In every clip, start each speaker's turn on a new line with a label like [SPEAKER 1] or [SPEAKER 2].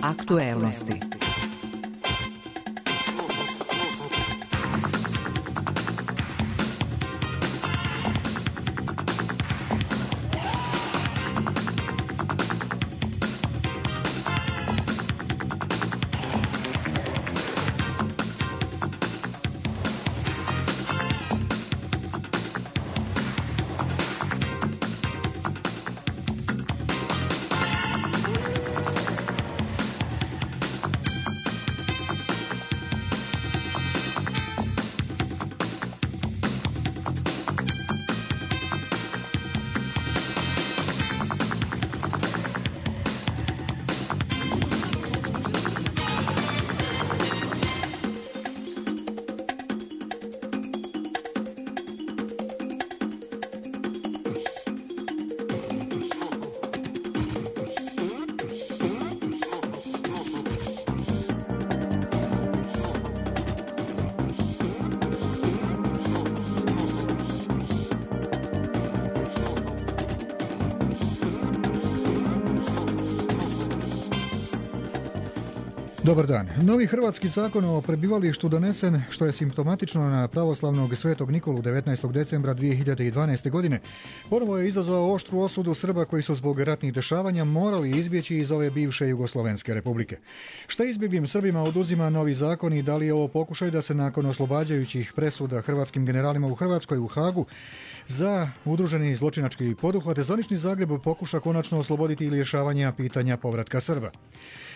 [SPEAKER 1] Aktuelnosti.
[SPEAKER 2] Dobar dan. Novi hrvatski zakon o prebivalištu donesen, što je simptomatično na pravoslavnog svetog Nikolu 19. decembra 2012. godine, ponovo je izazvao oštru osudu Srba koji su zbog ratnih dešavanja morali izbjeći iz ove bivše Jugoslovenske republike. Šta izbjeglim Srbima oduzima novi zakon i da li je ovo pokušaj da se nakon oslobađajućih presuda hrvatskim generalima u Hrvatskoj u Hagu za udruženi zločinački poduhvat zvanični Zagreb pokuša konačno osloboditi rješavanja pitanja povratka Srba?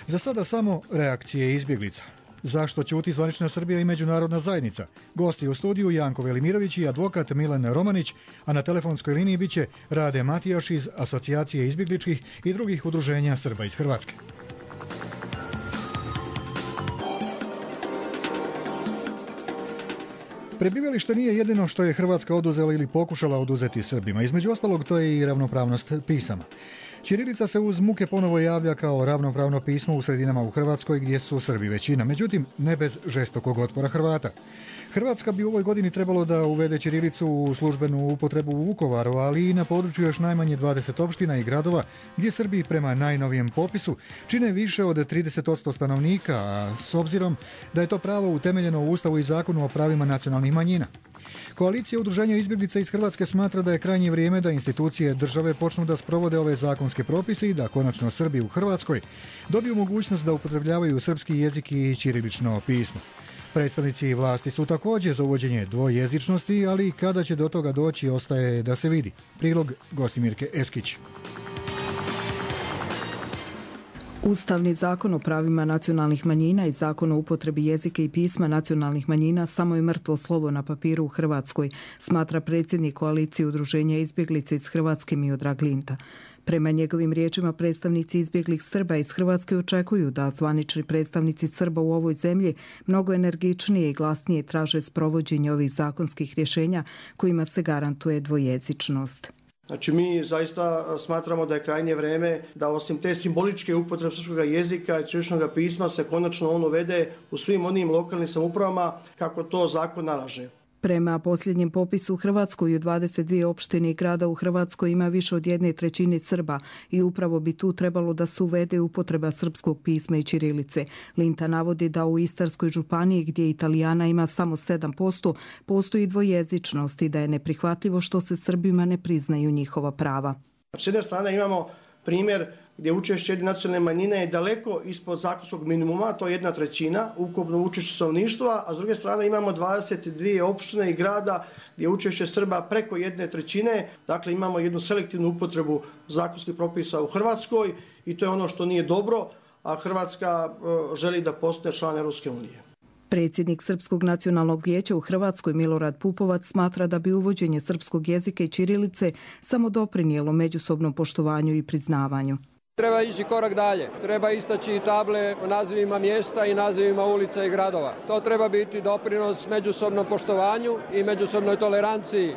[SPEAKER 2] Za sada samo reakcije izbjeglica. Zašto ćuti zvanična Srbija i međunarodna zajednica? Gosti u studiju Janko Velimirović i advokat Milan Romanić, a na telefonskoj liniji bit će Rade Matijaš iz Asocijacije izbjegličkih i drugih udruženja Srba iz Hrvatske. Prebivalište nije jedino što je Hrvatska oduzela ili pokušala oduzeti Srbima. Između ostalog, to je i ravnopravnost pisama. Ćirilica se uz muke ponovo javlja kao ravnopravno pismo u sredinama u Hrvatskoj gdje su Srbi većina, međutim ne bez žestokog otpora Hrvata. Hrvatska bi u ovoj godini trebalo da uvede ćirilicu u službenu upotrebu u Vukovaru, ali i na području još najmanje 20 opština i gradova gdje Srbi prema najnovijem popisu čine više od 30% stanovnika, a s obzirom da je to pravo utemeljeno u Ustavu i Zakonu o pravima nacionalnih manjina. Koalicija udruženja izbjeglica iz Hrvatske smatra da je krajnje vrijeme da institucije države počnu da sprovode ove zakonske propise i da konačno Srbi u Hrvatskoj dobiju mogućnost da upotrebljavaju srpski jezik i ćirilično pismo. Predstavnici vlasti su također za uvođenje dvojezičnosti, ali kada će do toga doći ostaje da se vidi. Prilog Gostimirke Eskić.
[SPEAKER 3] Ustavni zakon o pravima nacionalnih manjina i zakon o upotrebi jezika i pisma nacionalnih manjina samo je mrtvo slovo na papiru u Hrvatskoj, smatra predsjednik koalicije udruženja izbjeglica iz Hrvatske Miodrag Linta. Prema njegovim riječima, predstavnici izbjeglih Srba iz Hrvatske očekuju da zvanični predstavnici Srba u ovoj zemlji mnogo energičnije i glasnije traže sprovođenje ovih zakonskih rješenja kojima se garantuje dvojezičnost.
[SPEAKER 4] Znači mi zaista smatramo da je krajnje vrijeme da osim te simboličke upotrebe srpskog jezika i ćiriličnog pisma se konačno on uvede u svim onim lokalnim samoupravama kako to zakon nalaže.
[SPEAKER 3] Prema posljednjem popisu u Hrvatskoj u 22 opštine i grada u Hrvatskoj ima više od 1/3 Srba i upravo bi tu trebalo da se uvede upotreba srpskog pisma i ćirilice. Linta navodi da u Istarskoj županiji gdje Italijana ima samo 7% postoji dvojezičnost i da je neprihvatljivo što se Srbima ne priznaju njihova prava.
[SPEAKER 4] S jedne strane imamo primjer gdje učešće jedne nacionalne manjine je daleko ispod zakonskog minimuma, to je 1/3 ukupno učešće stanovništva, a s druge strane imamo 22 opštine i grada gdje učešće Srba preko 1/3, dakle imamo jednu selektivnu upotrebu zakonskih propisa u Hrvatskoj i to je ono što nije dobro, a Hrvatska želi da postane član Europske unije.
[SPEAKER 3] Predsjednik Srpskog nacionalnog vijeća u Hrvatskoj Milorad Pupovac smatra da bi uvođenje srpskog jezika i ćirilice samo doprinijelo međusobnom poštovanju i priznavanju.
[SPEAKER 5] Treba ići korak dalje. Treba istaći table o nazivima mjesta i nazivima ulica i gradova. To treba biti doprinos međusobnom poštovanju i međusobnoj toleranciji.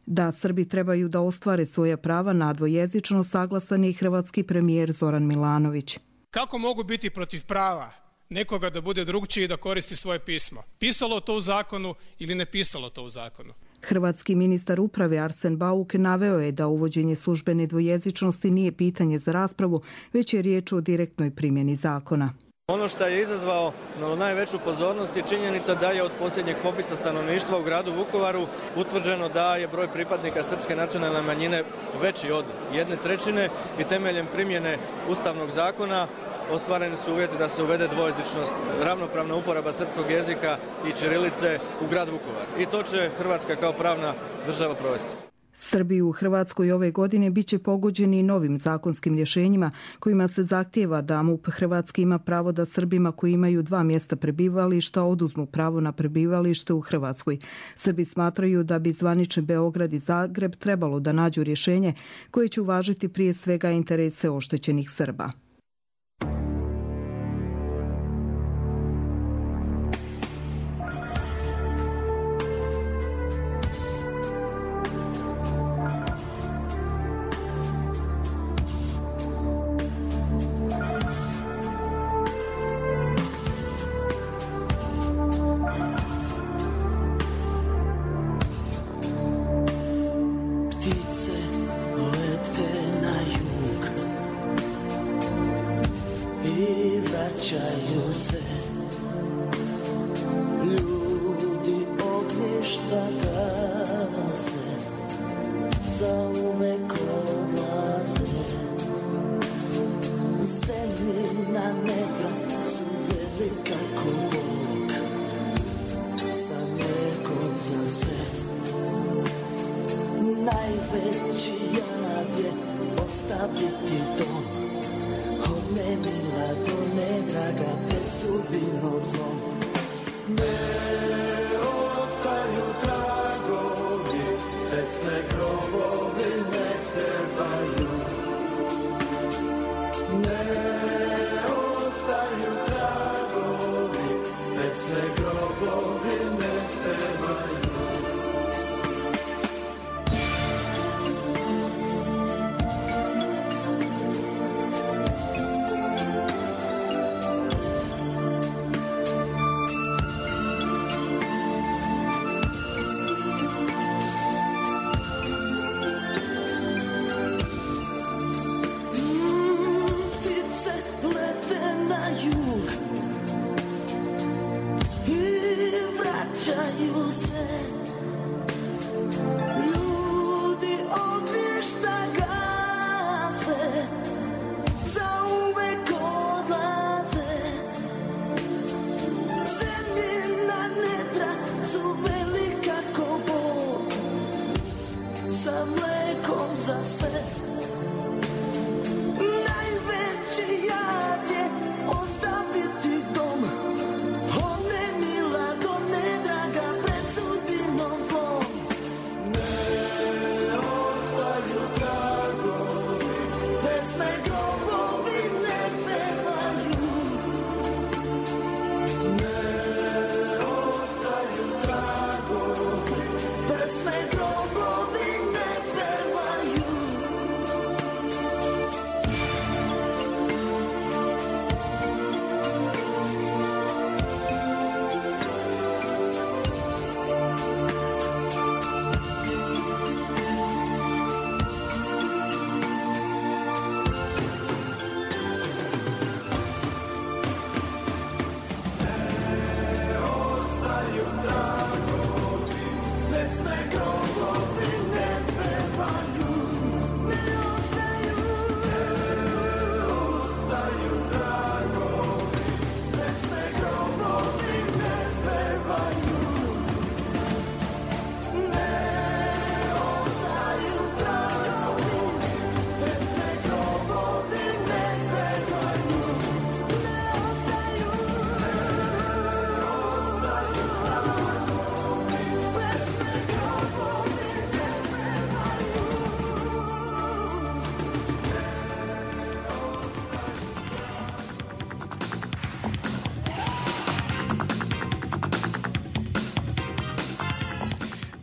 [SPEAKER 3] Da Srbi trebaju da ostvare svoja prava na dvojezičnost saglasan je i hrvatski premijer Zoran Milanović.
[SPEAKER 6] Kako mogu biti protiv prava nekoga da bude drugčiji i da koristi svoje pismo? Pisalo to u zakonu ili ne pisalo to u zakonu?
[SPEAKER 3] Hrvatski ministar uprave Arsen Bauk naveo je da uvođenje službene dvojezičnosti nije pitanje za raspravu, već je riječ o direktnoj primjeni zakona.
[SPEAKER 1] Ono što je izazvao najveću pozornost je činjenica da je od posljednjeg popisa stanovništva u gradu Vukovaru utvrđeno da je broj pripadnika srpske nacionalne manjine veći od 1/3 i temeljem primjene Ustavnog zakona ostvareni su uvjeti da se uvede dvojezičnost, ravnopravna uporaba srpskog jezika i ćirilice u grad Vukovar. I to će Hrvatska kao pravna država provesti.
[SPEAKER 3] Srbi u Hrvatskoj ove godine bit će pogođeni novim zakonskim rješenjima kojima se zahtijeva da MUP Hrvatski ima pravo da Srbima koji imaju 2 mjesta prebivališta oduzmu pravo na prebivalište u Hrvatskoj. Srbi smatraju da bi zvanični Beograd i Zagreb trebalo da nađu rješenje koje će uvažiti prije svega interese oštećenih Srba.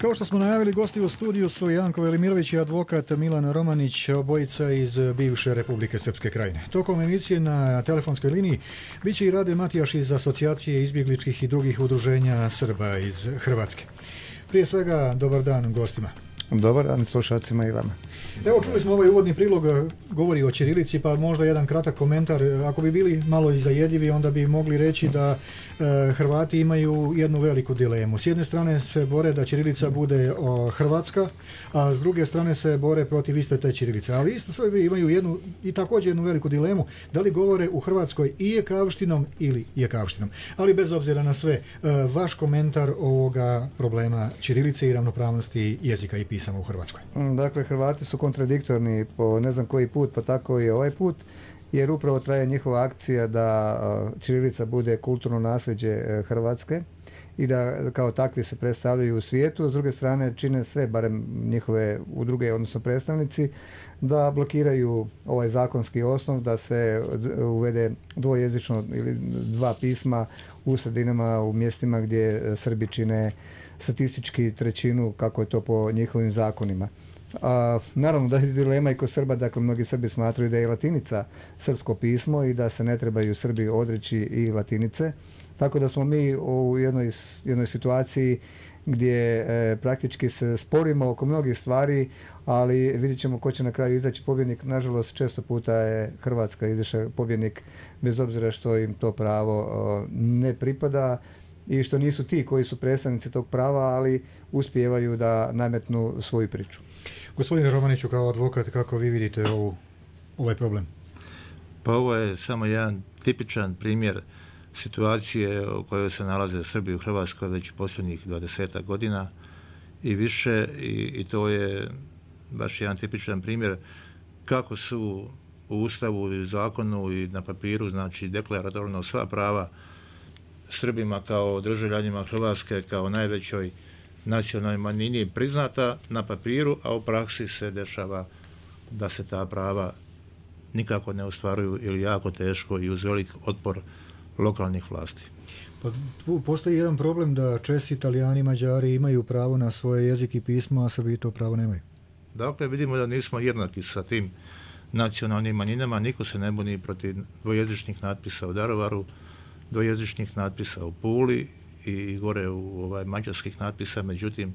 [SPEAKER 2] Kao što smo najavili, gosti u studiju su Janko Velimirović i advokat Milan Romanić, obojica iz bivše Republike Srpske Krajine. Tokom emisije na telefonskoj liniji bit će i Rade Matijaš iz Asocijacije izbjegličkih i drugih udruženja Srba iz Hrvatske. Prije svega, dobar dan gostima.
[SPEAKER 7] Dobar dan slušalcima i vama.
[SPEAKER 2] Evo, čuli smo ovaj uvodni prilog, govori o ćirilici, pa možda jedan kratak komentar. Ako bi bili malo zajedljivi, onda bi mogli reći da Hrvati imaju jednu veliku dilemu. S jedne strane se bore da ćirilica bude hrvatska, a s druge strane se bore protiv iste te ćirilice. Ali isto sve imaju također jednu veliku dilemu, da li govore u Hrvatskoj i jekavštinom ili jekavštinom. Ali bez obzira na sve, vaš komentar ovoga problema ćirilice i ravnopravnosti jezika i pisama u Hrvatskoj.
[SPEAKER 7] Dakle, Hrvati su kontradiktorni po ne znam koji put, pa tako i ovaj put, jer upravo traje njihova akcija da ćirilica bude kulturno nasljeđe Hrvatske i da kao takvi se predstavljaju u svijetu. S druge strane čine sve, barem njihove udruge, odnosno predstavnici, da blokiraju ovaj zakonski osnov, da se uvede dvojezično ili dva pisma u sredinama, u mjestima gdje Srbi čine statistički trećinu, kako je to po njihovim zakonima. Naravno da je dilema i kod Srba, dakle mnogi Srbi smatraju da je latinica srpsko pismo i da se ne trebaju Srbi odreći i latinice, tako da smo mi u jednoj situaciji gdje praktički se sporimo oko mnogih stvari, ali vidjet ćemo ko će na kraju izaći pobjednik. Nažalost, često puta je Hrvatska izašla pobjednik, bez obzira što im to pravo ne pripada i što nisu ti koji su predstavnici tog prava, ali uspijevaju da nametnu svoju priču.
[SPEAKER 2] Gospodine Romaniću, kao advokat, kako vi vidite ovaj problem?
[SPEAKER 8] Pa ovo je samo jedan tipičan primjer situacije u kojoj se nalaze Srbi u Hrvatskoj već posljednjih 20 godina i više, i to je baš jedan tipičan primjer kako su u Ustavu i zakonu i na papiru, znači deklaratorno sva prava Srbima kao državljanima Hrvatske, kao najvećoj nacionalnoj manjini priznata na papiru, a u praksi se dešava da se ta prava nikako ne ostvaruju ili jako teško i uz velik otpor lokalnih vlasti.
[SPEAKER 2] Pa, postoji jedan problem da Česi, Italijani, Mađari imaju pravo na svoje jezik i pismo, a Srbi to pravo nemaju.
[SPEAKER 8] Dakle, vidimo da nismo jednaki sa tim nacionalnim manjinama, niko se ne buni protiv dvojezičnih natpisa u Daruvaru, dvojezičnih natpisa u Puli i gore u mađarskih natpisa, međutim,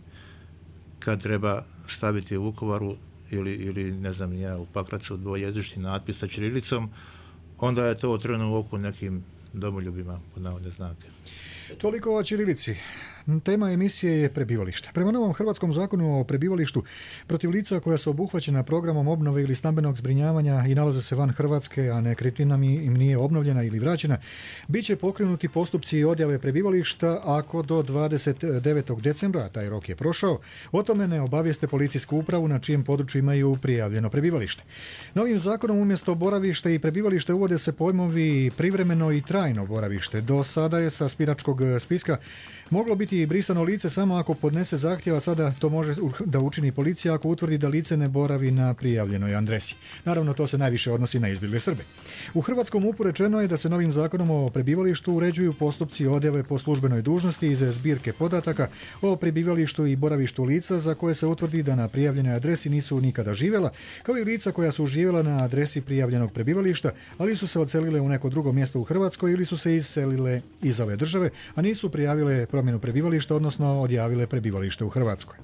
[SPEAKER 8] kad treba staviti u Vukovaru ili ne znam ja, u Pakracu dvojezični natpis sa ćirilicom, onda je to trnu u oku nekim domoljubima, pod navodne znake.
[SPEAKER 2] Toliko o ćirilici. Tema emisije je prebivalište. Prema novom hrvatskom zakonu o prebivalištu, protiv lica koja su obuhvaćena programom obnove ili stambenog zbrinjavanja i nalaze se van Hrvatske, a nekretnina im nije obnovljena ili vraćena, bit će pokrenuti postupci odjave prebivališta ako do 29. decembra, taj rok je prošao, o tome ne obavijeste policijsku upravu na čijem području imaju prijavljeno prebivalište. Novim zakonom umjesto boravište i prebivalište uvode se pojmovi privremeno i trajno boravište. Do sada je sa biračkog spiska moglo biti brisano lice samo ako podnese zahtjeva, sada to može da učini policija ako utvrdi da lice ne boravi na prijavljenoj adresi. Naravno, to se najviše odnosi na izbjegle Srbe. U hrvatskom MUP-u rečeno je da se novim zakonom o prebivalištu uređuju postupci odjave po službenoj dužnosti iz zbirke podataka o prebivalištu i boravištu lica za koje se utvrdi da na prijavljenoj adresi nisu nikada živjela, kao i lica koja su živjela na adresi prijavljenog prebivališta, ali su se odselile u neko drugo mjesto u Hrvatskoj ili su se iselile iz ove države, a nisu prijavile promjenu prebivališta, odnosno odjavile prebivalište u Hrvatskoj.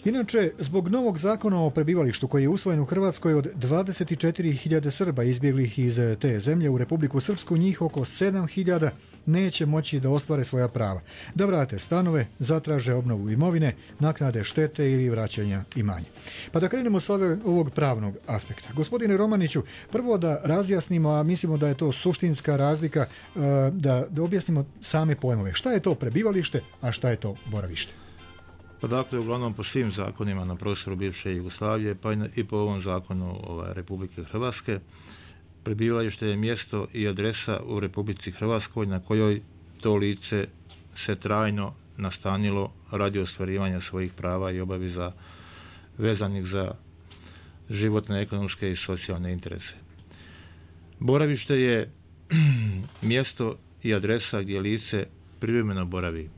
[SPEAKER 2] Inače, zbog novog zakona o prebivalištu koji je usvojen u Hrvatskoj, od 24.000 Srba izbjeglih iz te zemlje u Republiku Srpsku, njih oko 7.000 neće moći da ostvare svoja prava, da vrate stanove, zatraže obnovu imovine, naknade štete ili vraćanja imanja. Pa da krenemo s ovog pravnog aspekta. Gospodine Romaniću, prvo da razjasnimo, a mislimo da je to suštinska razlika, da objasnimo same pojmove. Šta je to prebivalište, a šta je to boravište?
[SPEAKER 8] Pa dakle, uglavnom po svim zakonima na prostoru bivše Jugoslavije, pa i po ovom zakonu Republike Hrvatske, prebivalište je mjesto i adresa u Republici Hrvatskoj na kojoj to lice se trajno nastanilo radi ostvarivanja svojih prava i obaveza vezanih za životne, ekonomske i socijalne interese. Boravište je mjesto i adresa gdje lice privremeno boravi.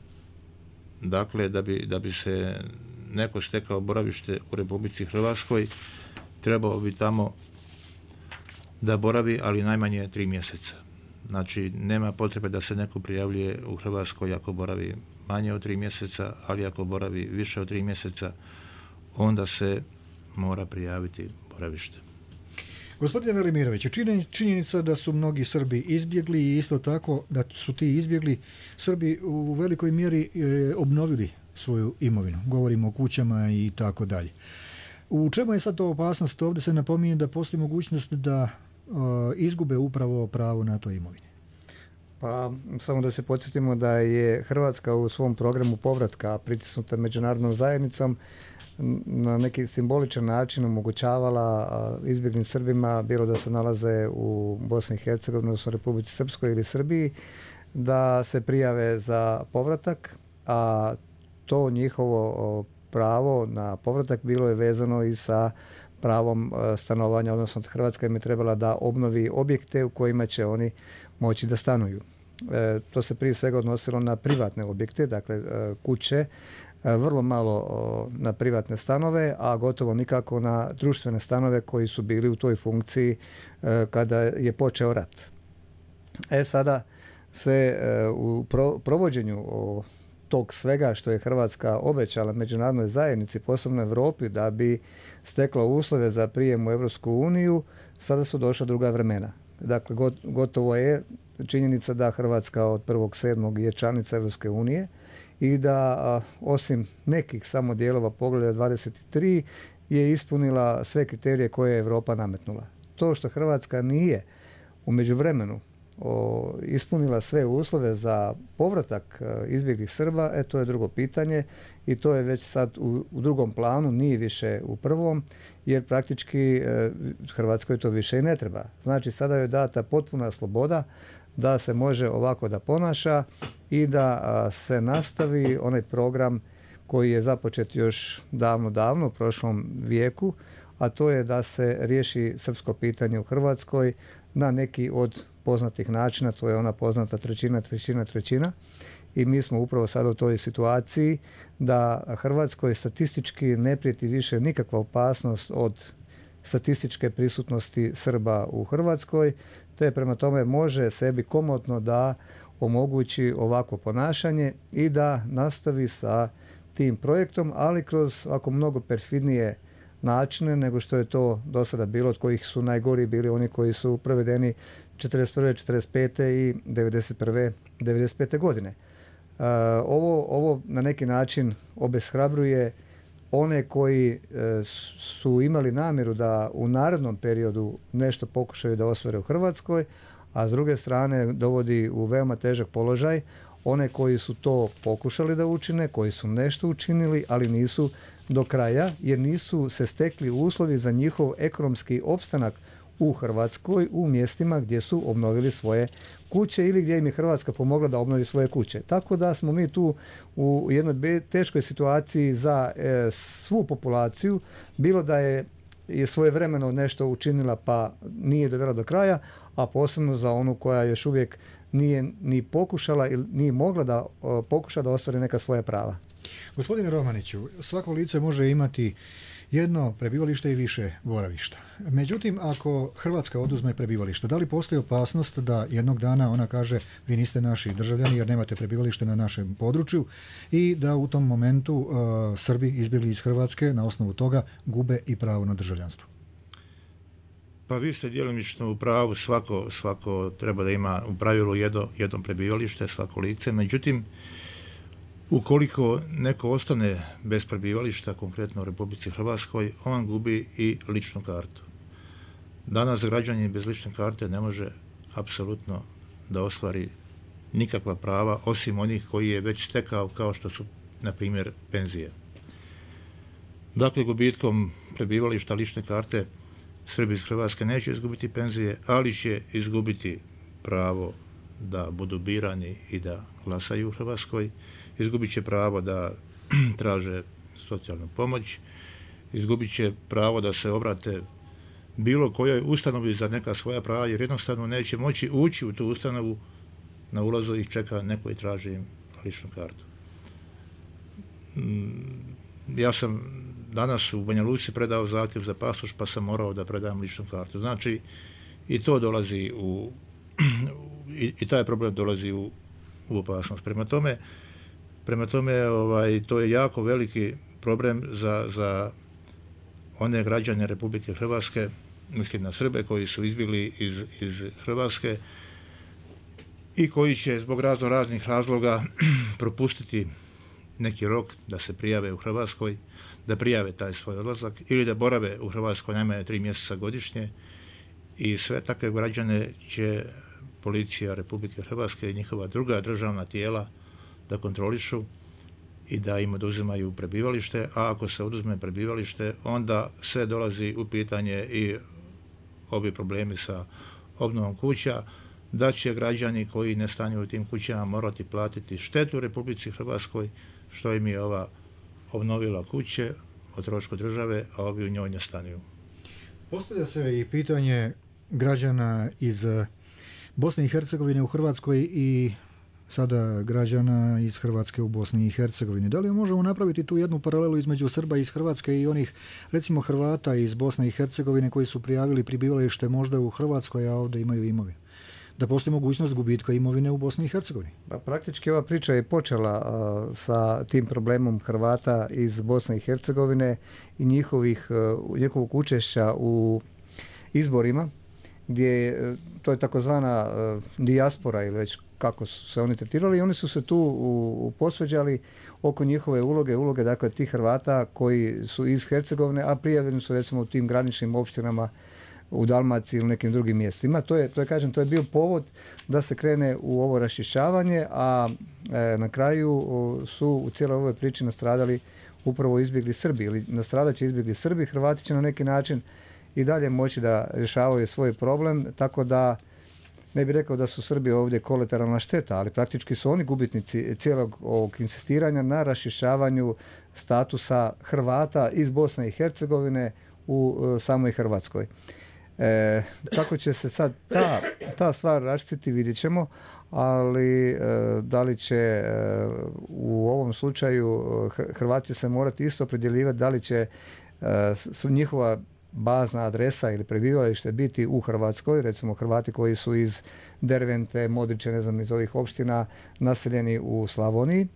[SPEAKER 8] Dakle, da bi se neko stekao boravište u Republici Hrvatskoj, trebao bi tamo da boravi, ali najmanje 3 mjeseca. Znači, nema potrebe da se neko prijavljuje u Hrvatskoj ako boravi manje od 3 mjeseca, ali ako boravi više od 3 mjeseca, onda se mora prijaviti boravište.
[SPEAKER 2] Gospodine Velimiroviću, činjenica da su mnogi Srbi izbjegli i isto tako da su ti izbjegli Srbi u velikoj mjeri obnovili svoju imovinu. Govorimo o kućama i tako dalje. U čemu je sad to opasnost? Ovdje se napominje da postoji mogućnost da izgube upravo pravo na toj imovini.
[SPEAKER 7] Pa samo da se podsjetimo da je Hrvatska u svom programu povratka pritisnuta međunarodnom zajednicom na neki simboličan način omogućavala izbjeglim Srbima, bilo da se nalaze u Bosni i Hercegovini, odnosno Republici Srpskoj ili Srbiji, da se prijave za povratak, a to njihovo pravo na povratak bilo je vezano i sa pravom stanovanja, odnosno Hrvatska im je trebala da obnovi objekte u kojima će oni moći da stanuju. To se prije svega odnosilo na privatne objekte, dakle kuće, vrlo malo na privatne stanove, a gotovo nikako na društvene stanove koji su bili u toj funkciji kada je počeo rat. Sada se u provođenju tog svega što je Hrvatska obećala međunarodnoj zajednici, posebno Europi, da bi stekla uslove za prijem u Europsku uniju, sada su došla druga vremena. Dakle, gotovo je činjenica da Hrvatska od 1.7. je članica Europske unije i da osim nekih samo dijelova poglavlja 23 je ispunila sve kriterije koje je Europa nametnula. To što Hrvatska nije u međuvremenu ispunila sve uslove za povratak izbjeglih Srba, to je drugo pitanje i to je već sad u drugom planu, nije više u prvom, jer praktički Hrvatskoj to više i ne treba. Znači sada je data potpuna sloboda da se može ovako da ponaša i da se nastavi onaj program koji je započet još davno u prošlom vijeku, a to je da se riješi srpsko pitanje u Hrvatskoj na neki od poznatih načina, to je ona poznata trećina i mi smo upravo sada u toj situaciji da Hrvatskoj statistički ne prijeti više nikakva opasnost od statističke prisutnosti Srba u Hrvatskoj, te prema tome može sebi komotno da omogući ovako ponašanje i da nastavi sa tim projektom, ali kroz ovako mnogo perfidnije načine nego što je to do sada bilo, od kojih su najgori bili oni koji su provedeni 41. 45. i 95. godine. Ovo na neki način obeshrabruje one koji su imali namjeru da u narednom periodu nešto pokušaju da ostvare u Hrvatskoj, a s druge strane dovodi u veoma težak položaj one koji su to pokušali da učine, koji su nešto učinili, ali nisu do kraja, jer nisu se stekli uslovi za njihov ekonomski opstanak u Hrvatskoj, u mjestima gdje su obnovili svoje kuće ili gdje im je Hrvatska pomogla da obnovi svoje kuće. Tako da smo mi tu u jednoj teškoj situaciji za svu populaciju, bilo da je svojevremeno nešto učinila pa nije dovela do kraja, a posebno za onu koja još uvijek nije ni pokušala ili nije mogla da pokuša da ostvari neka svoja prava.
[SPEAKER 2] Gospodine Romaniću, svako lice može imati jedno prebivalište i više boravišta. Međutim, ako Hrvatska oduzme prebivalište, da li postoji opasnost da jednog dana ona kaže vi niste naši državljani jer nemate prebivalište na našem području i da u tom momentu Srbi izbjegli iz Hrvatske na osnovu toga gube i pravo na državljanstvo?
[SPEAKER 8] Pa vi ste djelomično u pravu, svako treba da ima u pravilu jedno prebivalište, svako lice. Međutim, ukoliko neko ostane bez prebivališta, konkretno u Republici Hrvatskoj, on gubi i ličnu kartu. Danas građanin bez lične karte ne može apsolutno da ostvari nikakva prava, osim onih koji je već stekao, kao što su, na primjer, penzije. Dakle, gubitkom prebivališta lične karte Srbi iz Hrvatske neće izgubiti penzije, ali će izgubiti pravo da budu birani i da glasaju u Hrvatskoj, izgubit će pravo da traže socijalnu pomoć, izgubit će pravo da se obrate bilo kojoj ustanovi za neka svoja prava, jer jednostavno neće moći ući u tu ustanovu, na ulazu ih čeka neko i traži im ličnu kartu. Ja sam danas u Banja Luci predao zahtjev za pasoš, pa sam morao da predam ličnu kartu. Znači, i to dolazi i taj problem dolazi u opasnost. Prema tome, Prema tome, to je jako veliki problem za one građane Republike Hrvatske, mislim na Srbe koji su izbjegli iz Hrvatske i koji će zbog raznih razloga propustiti neki rok da se prijave u Hrvatskoj, da prijave taj svoj odlazak ili da borave u Hrvatskoj najmanje 3 mjeseca godišnje, i sve takve građane će policija Republike Hrvatske i njihova druga državna tijela da kontrolišu i da im oduzimaju prebivalište, a ako se oduzme prebivalište, onda sve dolazi u pitanje i ovi problemi sa obnovom kuća, da će građani koji ne stanuju u tim kućama morati platiti štetu Republici Hrvatskoj što im je ova obnovila kuće o trošku države, a ovi u njoj ne stanuju.
[SPEAKER 2] Postavlja se i pitanje građana iz Bosne i Hercegovine u Hrvatskoj i sada građana iz Hrvatske u Bosni i Hercegovini. Da li možemo napraviti tu jednu paralelu između Srba iz Hrvatske i onih, recimo, Hrvata iz Bosne i Hercegovine koji su prijavili prebivalište možda u Hrvatskoj, a ovdje imaju imovinu? Da postoji mogućnost gubitka imovine u Bosni i Hercegovini?
[SPEAKER 7] Pa praktički ova priča je počela sa tim problemom Hrvata iz Bosne i Hercegovine i njihovog učešća u izborima, gdje to je takozvana dijaspora ili već kako su se oni tretirali, i oni su se tu posveđali oko njihove uloge dakle tih Hrvata koji su iz Hercegovine, a prijavljeni su recimo u tim graničnim opštinama u Dalmaciji ili nekim drugim mjestima. To je bio povod da se krene u ovo raščišćavanje, a na kraju su u cijeloj ovoj priči nastradali upravo izbjegli Srbi, ili nastradat će izbjegli Srbi. Hrvati će na neki način i dalje moći da rješavaju svoj problem, tako da ne bih rekao da su Srbi ovdje kolateralna šteta, ali praktički su oni gubitnici cijelog ovog insistiranja na raščišćavanju statusa Hrvata iz Bosne i Hercegovine u samoj Hrvatskoj. Kako će se sad ta stvar raščistiti, vidjet ćemo, ali da li će u ovom slučaju Hrvati se morati isto opredjeljivati, da li će su njihova bazna adresa ili prebivalište biti u Hrvatskoj, recimo Hrvati koji su iz Dervente, Modriče, ne znam, iz ovih opština naseljeni u Slavoniji.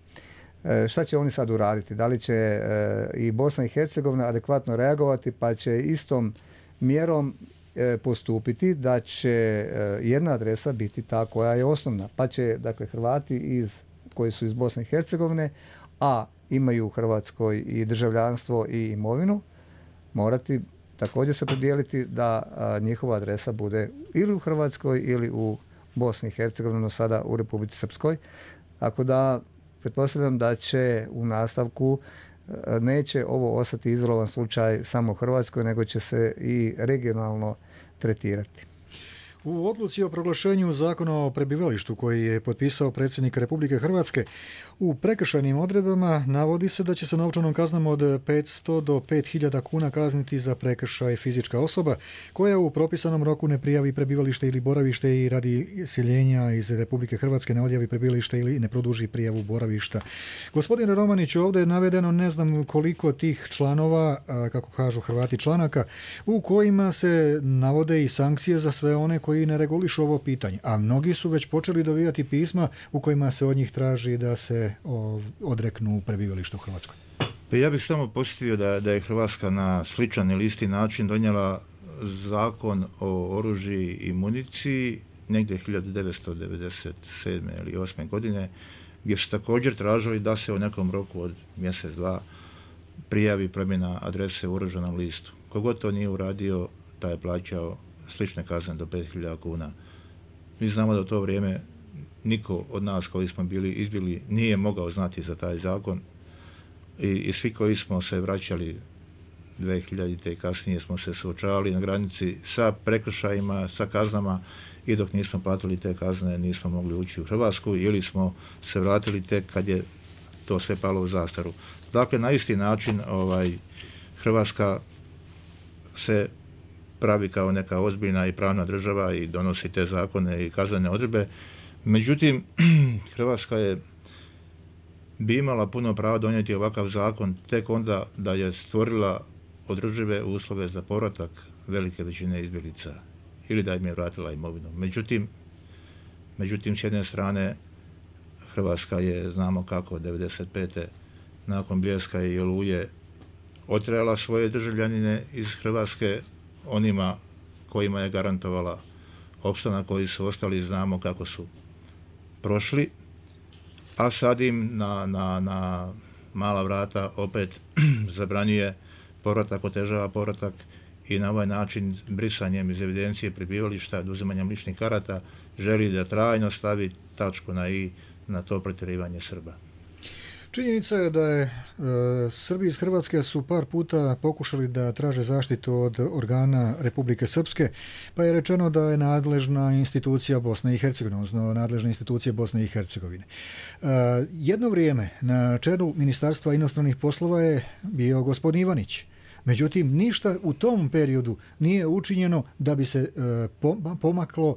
[SPEAKER 7] Šta će oni sad uraditi? Da li će i Bosna i Hercegovina adekvatno reagovati, pa će istom mjerom postupiti da će jedna adresa biti ta koja je osnovna, pa će dakle Hrvati koji su iz Bosne i Hercegovine, a imaju u Hrvatskoj i državljanstvo i imovinu, morati također se podijeliti da njihova adresa bude ili u Hrvatskoj ili u Bosni i Hercegovini, no sada u Republici Srpskoj. Tako da pretpostavljam da će u nastavku neće ovo ostati izolovan slučaj samo u Hrvatskoj, nego će se i regionalno tretirati.
[SPEAKER 2] U odluci o proglašenju zakona o prebivalištu koji je potpisao predsjednik Republike Hrvatske, u prekršajnim odredbama navodi se da će se novčanom kaznom od 500 do 5000 kuna kazniti za prekršaj fizička osoba koja u propisanom roku ne prijavi prebivalište ili boravište i radi iseljenja iz Republike Hrvatske ne odjavi prebivalište ili ne produži prijavu boravišta. Gospodine Romanić, ovdje je navedeno ne znam koliko tih članova, kako kažu Hrvati, članaka, u kojima se navode i sankcije za sve one koji ne regulišu ovo pitanje, a mnogi su već počeli dobivati pisma u kojima se od njih traži da se odreknu prebivališta u Hrvatskoj.
[SPEAKER 8] Pa ja bih samo posjetio da je Hrvatska na sličan ili isti način donijela zakon o oružju i municiji negdje 1997. ili 8. godine, gdje su također tražili da se u nekom roku od mjesec, dva prijavi promjena adrese u oružanom listu. Kogod to nije uradio, taj je plaćao slične kazne do 5000 kuna. Mi znamo da u to vrijeme niko od nas koji smo bili izbjegli nije mogao znati za taj zakon i svi koji smo se vraćali 2000. i kasnije smo se suočavali na granici sa prekršajima, sa kaznama, i dok nismo platili te kazne nismo mogli ući u Hrvatsku ili smo se vratili tek kad je to sve palo u zastaru. Dakle, na isti način Hrvatska se pravi kao neka ozbiljna i pravna država i donosi te zakone i kaznene odredbe. Međutim, Hrvatska bi imala puno prava donijeti ovakav zakon tek onda da je stvorila održive uslove za povratak velike većine izbjeglica ili da im je vratila imovinu. Međutim, s jedne strane, Hrvatska je, znamo kako, 1995. nakon Bljeska i Oluje otjerala svoje državljanine iz Hrvatske, onima kojima je garantovala opstanak, koji su ostali, znamo kako su prošli, a sad im na mala vrata opet zabranjuje povratak, otežava povratak i na ovaj način brisanjem iz evidencije prebivališta, oduzimanjem ličnih karata, želi da trajno stavi tačku na i na to protjerivanje Srba.
[SPEAKER 2] Činjenica je da je Srbi iz Hrvatske su par puta pokušali da traže zaštitu od organa Republike Srpske, pa je rečeno da je nadležna institucija Bosne i Hercegovine, odnosno nadležne institucije Bosne i Hercegovine. Jedno vrijeme na čelu Ministarstva inostranih poslova je bio gospodin Ivanić. Međutim, ništa u tom periodu nije učinjeno da bi se pomaklo,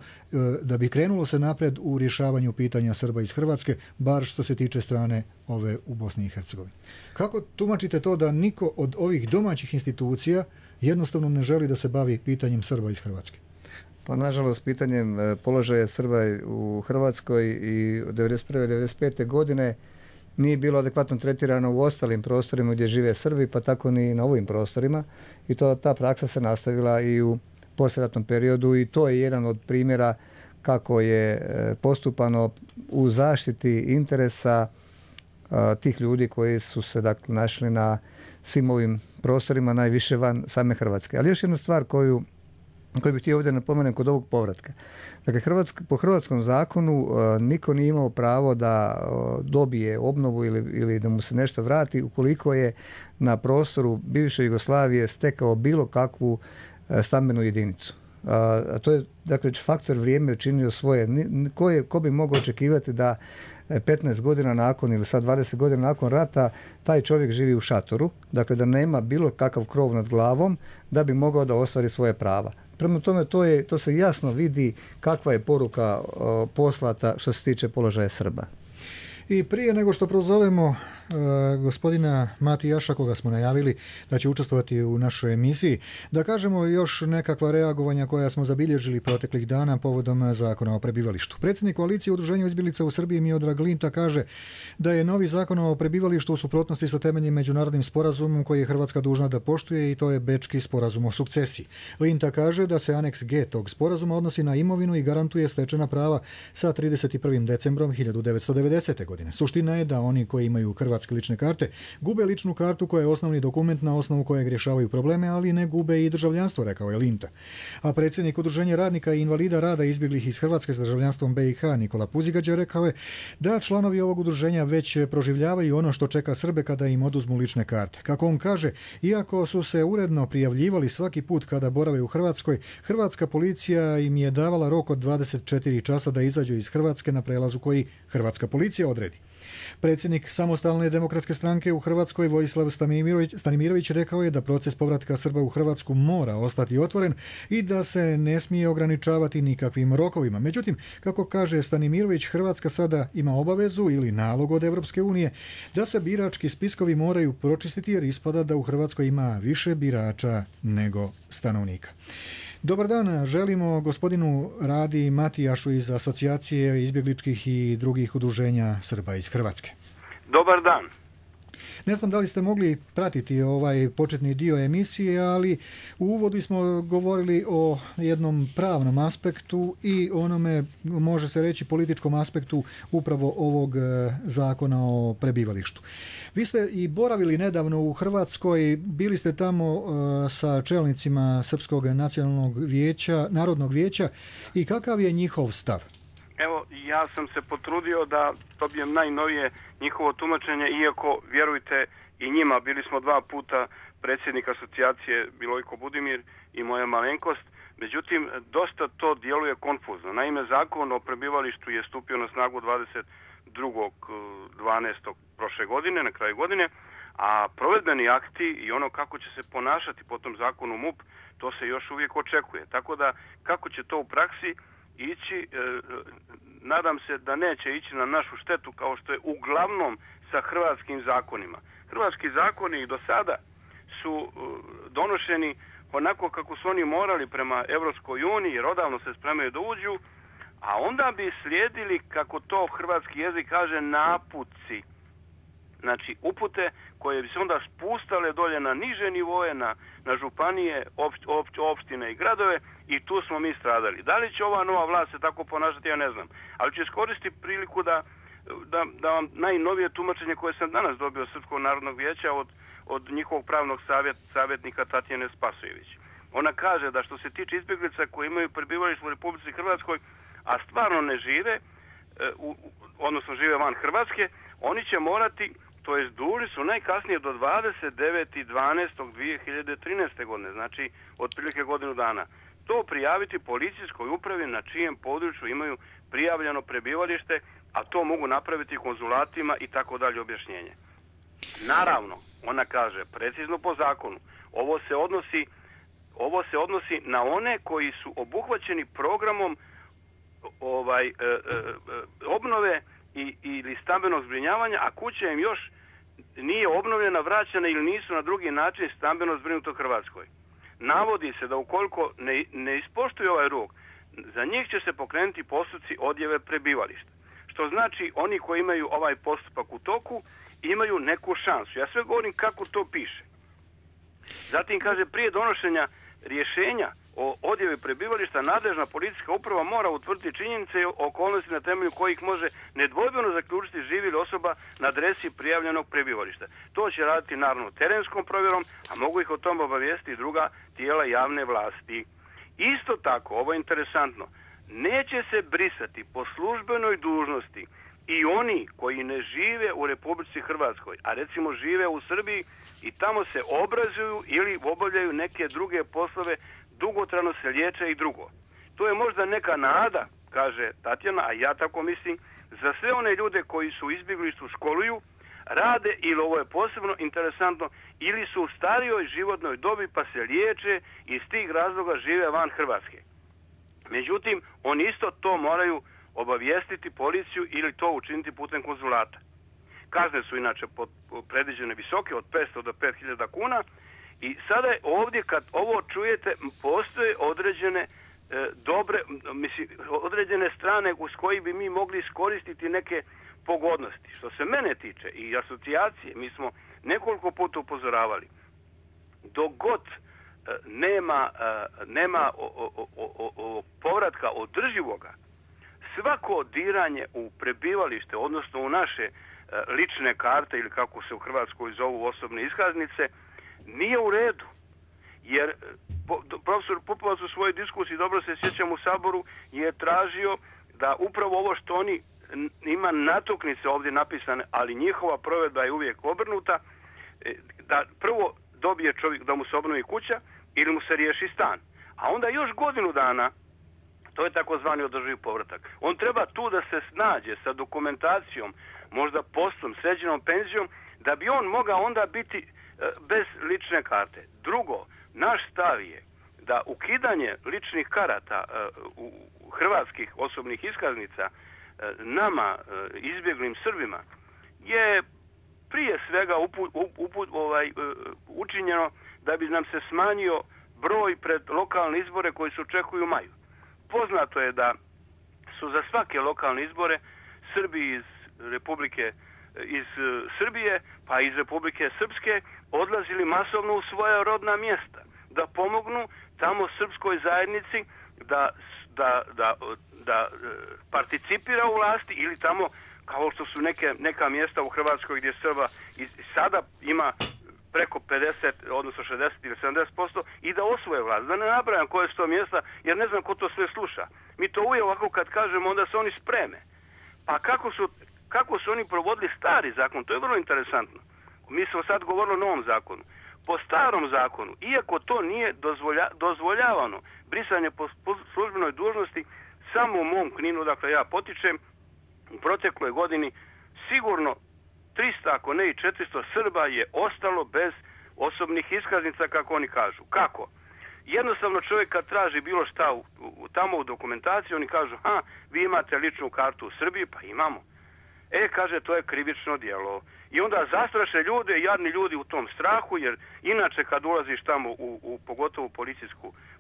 [SPEAKER 2] da bi krenulo se napred u rješavanju pitanja Srba iz Hrvatske, bar što se tiče strane ove u Bosni i Hercegovini. Kako tumačite to da niko od ovih domaćih institucija jednostavno ne želi da se bavi pitanjem Srba iz Hrvatske?
[SPEAKER 7] Pa nažalost, pitanjem položaja Srba u Hrvatskoj i od 1991. 1995. godine nije bilo adekvatno tretirano u ostalim prostorima gdje žive Srbi, pa tako ni na ovim prostorima. I ta praksa se nastavila i u poslijeratnom periodu i to je jedan od primjera kako je postupano u zaštiti interesa tih ljudi koji su se dakle našli na svim ovim prostorima, najviše van same Hrvatske. Ali još jedna stvar koju bih htio ovdje napomenem kod ovog povratka. Dakle, po hrvatskom zakonu niko nije imao pravo da dobije obnovu ili da mu se nešto vrati ukoliko je na prostoru bivše Jugoslavije stekao bilo kakvu stambenu jedinicu. A to je, dakle, faktor vrijeme učinio svoje. Ko bi mogao očekivati da 15 godina nakon ili sad 20 godina nakon rata taj čovjek živi u šatoru, dakle da nema bilo kakav krov nad glavom da bi mogao da ostvari svoje prava. Prema tome, to se jasno vidi kakva je poruka poslata što se tiče položaja Srba.
[SPEAKER 2] I prije nego što prozovemo gospodina Matijaša, koga smo najavili da će učestvovati u našoj emisiji, da kažemo još nekakva reagovanja koja smo zabilježili proteklih dana povodom zakona o prebivalištu. Predsjednik koalicije Udruženja izbjeglica u Srbiji Miodrag Linta kaže da je novi zakon o prebivalištu u suprotnosti sa temeljnim međunarodnim sporazumom koji je Hrvatska dužna da poštuje, i to je Bečki sporazum o sukcesiji. Linta kaže da se aneks G tog sporazuma odnosi na imovinu i garantuje stečena prava sa 31. decembrom 1990. godine. Suština je da oni koji imaju hrvatske lične karte gube ličnu kartu koja je osnovni dokument na osnovu kojeg rješavaju probleme, ali ne gube i državljanstvo, rekao je Linta. A predsjednik Udruženja radnika i invalida rada izbjeglih iz Hrvatske s državljanstvom BiH Nikola Puzigađa rekao je da članovi ovog udruženja već proživljavaju ono što čeka Srbe kada im oduzmu lične karte. Kako on kaže, iako su se uredno prijavljivali svaki put kada borave u Hrvatskoj, hrvatska policija im je davala rok od 24 časa da izađu iz Hrvatske na prelazu koji hrvatska policija odredi. Predsjednik Samostalne demokratske stranke u Hrvatskoj Vojislav Stanimirović rekao je da proces povratka Srba u Hrvatsku mora ostati otvoren i da se ne smije ograničavati nikakvim rokovima. Međutim, kako kaže Stanimirović, Hrvatska sada ima obavezu ili nalog od Europske unije da se birački spiskovi moraju pročistiti jer ispada da u Hrvatskoj ima više birača nego stanovnika. Dobar dan, želimo gospodinu Radi Matijašu iz Asocijacije izbjegličkih i drugih udruženja Srba iz Hrvatske.
[SPEAKER 9] Dobar dan.
[SPEAKER 2] Ne znam da li ste mogli pratiti ovaj početni dio emisije, ali u uvodu smo govorili o jednom pravnom aspektu i onome, može se reći, političkom aspektu upravo ovog zakona o prebivalištu. Vi ste i boravili nedavno u Hrvatskoj, bili ste tamo sa čelnicima Srpskog narodnog vijeća i kakav je njihov stav?
[SPEAKER 9] Evo, ja sam se potrudio da dobijem najnovije njihovo tumačenje, iako, vjerujte, i njima, bili smo 2 puta predsjednik asocijacije Milojko Budimir i moja malenkost, međutim, dosta to djeluje konfuzno. Naime, zakon o prebivalištu je stupio na snagu 22.12. prošle godine, na kraju godine, a provedbeni akti i ono kako će se ponašati po tom zakonu MUP, to se još uvijek očekuje. Tako da, kako će to u praksi ići, nadam se da neće ići na našu štetu kao što je uglavnom sa hrvatskim zakonima. Hrvatski zakoni i do sada su donošeni onako kako su oni morali prema Europskoj uniji, jer odavno se spremaju da uđu, a onda bi slijedili, kako to hrvatski jezik kaže, naputci. Znači, upute koje bi se onda spustale dolje na niže nivoje, na županije, opštine i gradove, i tu smo mi stradali. Da li će ova nova vlast se tako ponašati, ja ne znam. Ali ću iskoristiti priliku da vam najnovije tumačenje koje sam danas dobio od Srpskog narodnog vijeća od njihovog pravnog savjetnika Tatjane Spasojević. Ona kaže da što se tiče izbjeglica koji imaju prebivalište u Republici Hrvatskoj, a stvarno ne žive, odnosno žive van Hrvatske, oni će morati, to jest dužni su najkasnije do 29.12.2013. godine, znači otprilike godinu dana, to prijaviti policijskoj upravi na čijem području imaju prijavljeno prebivalište, a to mogu napraviti konzulatima i tako dalje objašnjenje. Naravno, ona kaže, precizno po zakonu, ovo se odnosi na one koji su obuhvaćeni programom obnove ili stambenog zbrinjavanja, a kuća im još nije obnovljena, vraćena ili nisu na drugi način stambeno zbrinuto u Hrvatskoj. Navodi se da ukoliko ne ispoštuju ovaj rok, za njih će se pokrenuti postupci odjave prebivališta. Što znači oni koji imaju ovaj postupak u toku imaju neku šansu. Ja sve govorim kako to piše. Zatim kaže, prije donošenja rješenja o odjavi prebivališta nadležna policijska uprava mora utvrditi činjenice i okolnosti na temelju kojih može nedvojbeno zaključiti živi li osoba na adresi prijavljenog prebivališta. To će raditi naravno terenskom provjerom, a mogu ih o tom obavijestiti i druga tijela javne vlasti. Isto tako, ovo je interesantno, neće se brisati po službenoj dužnosti i oni koji ne žive u Republici Hrvatskoj, a recimo žive u Srbiji i tamo se obrazuju ili obavljaju neke druge poslove, dugotrajno se liječe i drugo. To je možda neka nada, kaže Tatjana, a ja tako mislim, za sve one ljude koji su u izbjeglištvu, školuju, rade, ili ovo je posebno interesantno, ili su u starijoj životnoj dobi pa se liječe i iz tih razloga žive van Hrvatske. Međutim, oni isto to moraju obavijestiti policiju ili to učiniti putem konzulata. Kazne su inače predviđene visoke, od 500 do 5000 kuna, i sada je ovdje, kad ovo čujete, postoje određene određene strane uz koji bi mi mogli iskoristiti neke pogodnosti. Što se mene tiče i asocijacije, mi smo nekoliko puta upozoravali, dok god nema povratka održivoga, svako diranje u prebivalište, odnosno u naše lične karte ili kako se u Hrvatskoj zovu osobne iskaznice, nije u redu. Jer profesor Pupovac u svojoj diskusiji, dobro se sjećam, u Saboru je tražio da upravo ovo što oni ima natuknice ovdje napisane, ali njihova provedba je uvijek obrnuta, da prvo dobije čovjek da mu se obnovi kuća ili mu se riješi stan. A onda još godinu dana, to je takozvani održivi povratak. On treba tu da se snađe sa dokumentacijom, možda poslom, sređenom penzijom, da bi on mogao onda biti bez lične karte. Drugo, naš stav je da ukidanje ličnih karata u hrvatskih osobnih iskaznica nama, izbjeglim Srbima, je prije svega učinjeno da bi nam se smanjio broj pred lokalne izbore koji se očekuju u maju. Poznato je da su za svake lokalne izbore Srbi iz Srbije pa iz Republike Srpske odlazili masovno u svoja rodna mjesta da pomognu tamo srpskoj zajednici da participira u vlasti, ili tamo kao što su neka mjesta u Hrvatskoj gdje Srba i sada ima preko 50, odnosno 60 ili 70% i da osvoje vlast. Da ne nabrajam koje su to mjesta, jer ne znam ko to sve sluša. Mi to uvijek ovako kad kažemo, onda se oni spreme. Pa kako su oni provodili stari zakon, to je vrlo interesantno. Mi smo sad govorili o novom zakonu. Po starom zakonu, iako to nije dozvoljavano, brisanje po službenoj dužnosti, samo u mom Kninu, dakle ja potičem, u protekloj godini sigurno 300, ako ne i 400 Srba je ostalo bez osobnih iskaznica, kako oni kažu. Kako? Jednostavno čovjek kad traži bilo šta tamo u dokumentaciji, oni kažu, vi imate ličnu kartu u Srbiji, pa imamo. Kaže, to je krivično djelo. I onda zastraše ljude, jadni ljudi u tom strahu, jer inače kad ulaziš tamo pogotovo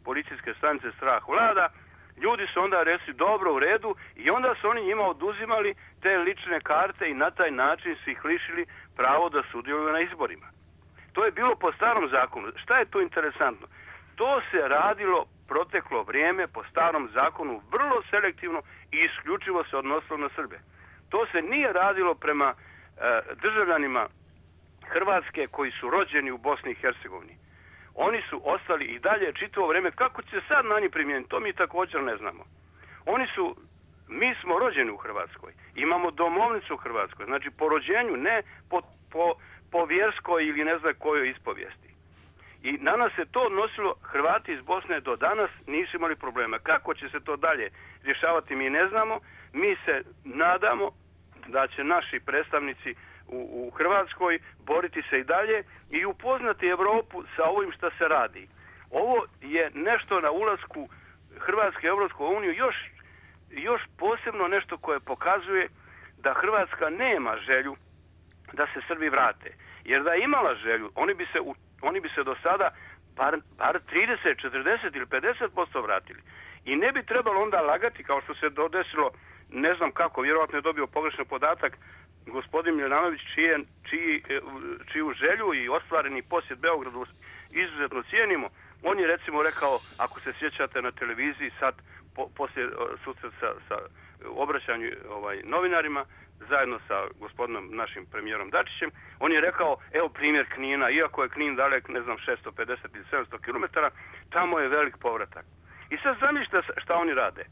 [SPEAKER 9] policijske stanice, strah vlada, Ljudi su onda rekli dobro, u redu, i onda su oni njima oduzimali te lične karte i na taj način su ih lišili pravo da sudjeluju na izborima. To je bilo po starom zakonu. Šta je tu interesantno? To se radilo proteklo vrijeme po starom zakonu vrlo selektivno i isključivo se odnosilo na Srbe. To se nije radilo prema državljanima Hrvatske koji su rođeni u Bosni i Hercegovini. Oni su ostali i dalje čitavo vrijeme. Kako će sad na njih primijeniti, to mi također ne znamo. Mi smo rođeni u Hrvatskoj, imamo domovnicu u Hrvatskoj, znači po rođenju, ne po vjerskoj ili ne znam kojoj ispovijesti. I na nas se to odnosilo, Hrvati iz Bosne do danas nisu imali problema. Kako će se to dalje rješavati, mi ne znamo. Mi se nadamo da će naši predstavnici u Hrvatskoj boriti se i dalje i upoznati Europu sa ovim što se radi. Ovo je nešto na ulasku Hrvatske u Europsku uniju još posebno nešto koje pokazuje da Hrvatska nema želju da se Srbi vrate. Jer da je imala želju, oni bi se do sada bar 30, 40 ili 50% vratili. I ne bi trebalo onda lagati, kao što se desilo, ne znam kako, vjerojatno je dobio pogrešan podatak, gospodin Milanović, čiju želju i ostvareni posjet Beogradu izuzetno cijenimo. On je recimo rekao, ako se sjećate na televiziji sad, poslije susreta sa obraćanju novinarima, zajedno sa gospodinom našim premijerom Dačićem, on je rekao, evo primjer Knina, iako je Knin dalek, ne znam, 650 ili 700 km, tamo je velik povratak. I sad zamislite šta oni rade.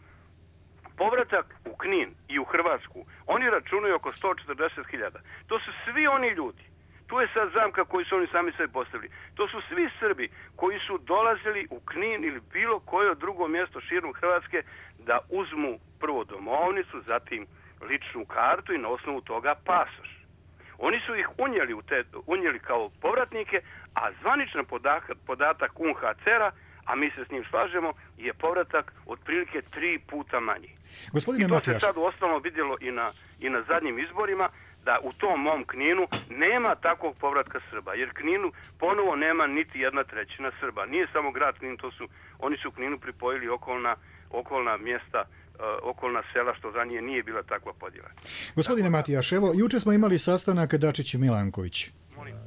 [SPEAKER 9] Povratak u Knin i u Hrvatsku, oni računaju oko 140.000. To su svi oni ljudi. Tu je sad zamka koju su oni sami sebi postavili. To su svi Srbi koji su dolazili u Knin ili bilo koje drugo mjesto širom Hrvatske da uzmu prvo domovnicu, zatim ličnu kartu i na osnovu toga pasoš. Oni su ih unijeli kao povratnike, a zvaničan podatak UNHCR-a, a mi se s njim slažemo, je povratak otprilike 3 puta manji.
[SPEAKER 2] Gospodine
[SPEAKER 9] I to
[SPEAKER 2] Matijaš,
[SPEAKER 9] se sad uostalom vidjelo i na zadnjim izborima, da u tom mom Kninu nema takvog povratka Srba, jer Kninu ponovo nema niti 1/3 Srba. Nije samo grad Knin, oni su Kninu pripojili okolna mjesta, okolna sela, što za nije bila takva podjela.
[SPEAKER 2] Gospodine Matijaš, evo, juče smo imali sastanak Dačić i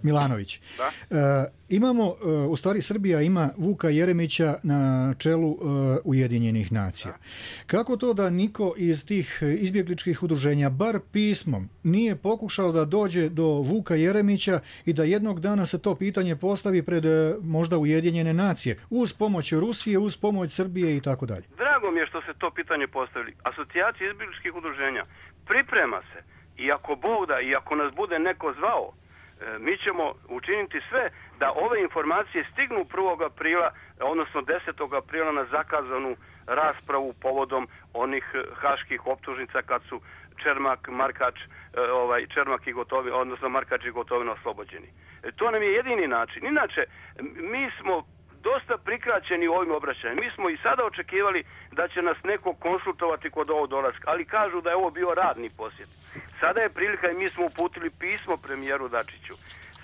[SPEAKER 2] Milanović. Imamo, u stvari Srbija ima Vuka Jeremića na čelu Ujedinjenih nacija. Kako to da niko iz tih izbjegličkih udruženja, bar pismom, nije pokušao da dođe do Vuka Jeremića i da jednog dana se to pitanje postavi pred možda Ujedinjene nacije, uz pomoć Rusije, uz pomoć Srbije i tako dalje?
[SPEAKER 9] Drago mi je što se to pitanje postavili. Asocijacija izbjegličkih udruženja priprema se, i ako Bog da, i ako nas bude neko zvao, mi ćemo učiniti sve da ove informacije stignu 1. aprila, odnosno 10. aprila na zakazanu raspravu povodom onih haških optužnica kad su Čermak, Markač, Čermak i Gotovina, odnosno Markač i Gotovina oslobođeni. To nam je jedini način. Inače, mi smo dosta prikraćeni ovim obraćanjem. Mi smo i sada očekivali da će nas neko konsultovati kod ovog dolaska, ali kažu da je ovo bio radni posjet. Sada je prilika i mi smo uputili pismo premijeru Dačiću.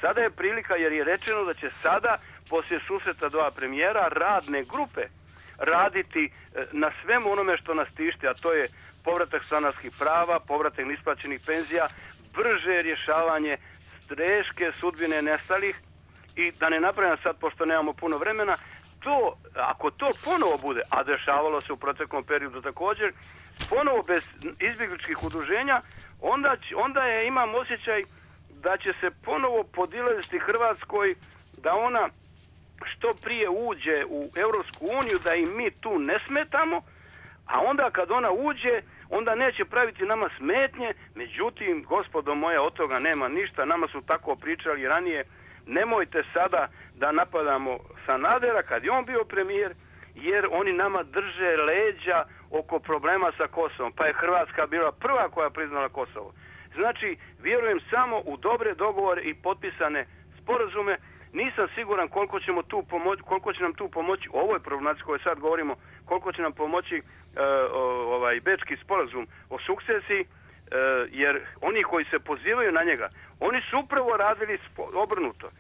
[SPEAKER 9] Sada je prilika jer je rečeno da će sada, poslije susreta dva premijera, radne grupe raditi na svemu onome što nas tišti, a to je povratak stanarskih prava, povratak neisplaćenih penzija, brže rješavanje teške sudbine nestalih. I da ne napravim sad, pošto nemamo puno vremena, ako to ponovo bude, a dešavalo se u proteklom periodu također, ponovo bez izbjegličkih udruženja, onda imam osjećaj da će se ponovo podilaziti Hrvatskoj, da ona što prije uđe u Europsku uniju, da i mi tu ne smetamo, a onda kad ona uđe, onda neće praviti nama smetnje. Međutim, gospodo moja, od toga nema ništa, nama su tako pričali ranije. Nemojte sada da napadamo Sanadera kad je on bio premijer, jer oni nama drže leđa oko problema sa Kosovom. Pa je Hrvatska bila prva koja priznala Kosovo. Znači, vjerujem samo u dobre dogovore i potpisane sporazume. Nisam siguran koliko će nam tu pomoći u ovoj problematici kojoj sad govorimo, koliko će nam pomoći Bečki sporazum o sukcesiji, jer oni koji se pozivaju na njega, oni su upravo radili obrnuto.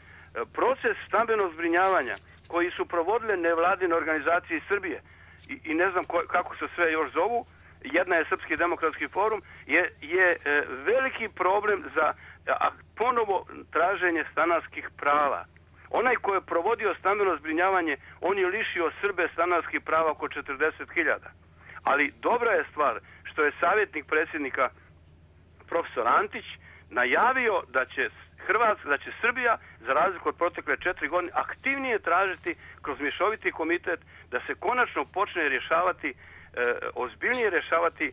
[SPEAKER 9] Proces stambenog zbrinjavanja koji su provodile nevladine organizacije iz Srbije i ne znam kako se sve još zovu, jedna je Srpski demokratski forum, je veliki problem za ponovo traženje stanarskih prava. Onaj ko je provodio stambeno zbrinjavanje, on je lišio Srbe stanarskih prava oko 40.000. Ali dobra je stvar što je savjetnik predsjednika profesor Antić najavio da će Srbija, za razliku od protekle 4 godine, aktivnije tražiti kroz mješoviti komitet da se konačno počne rješavati, ozbiljnije rješavati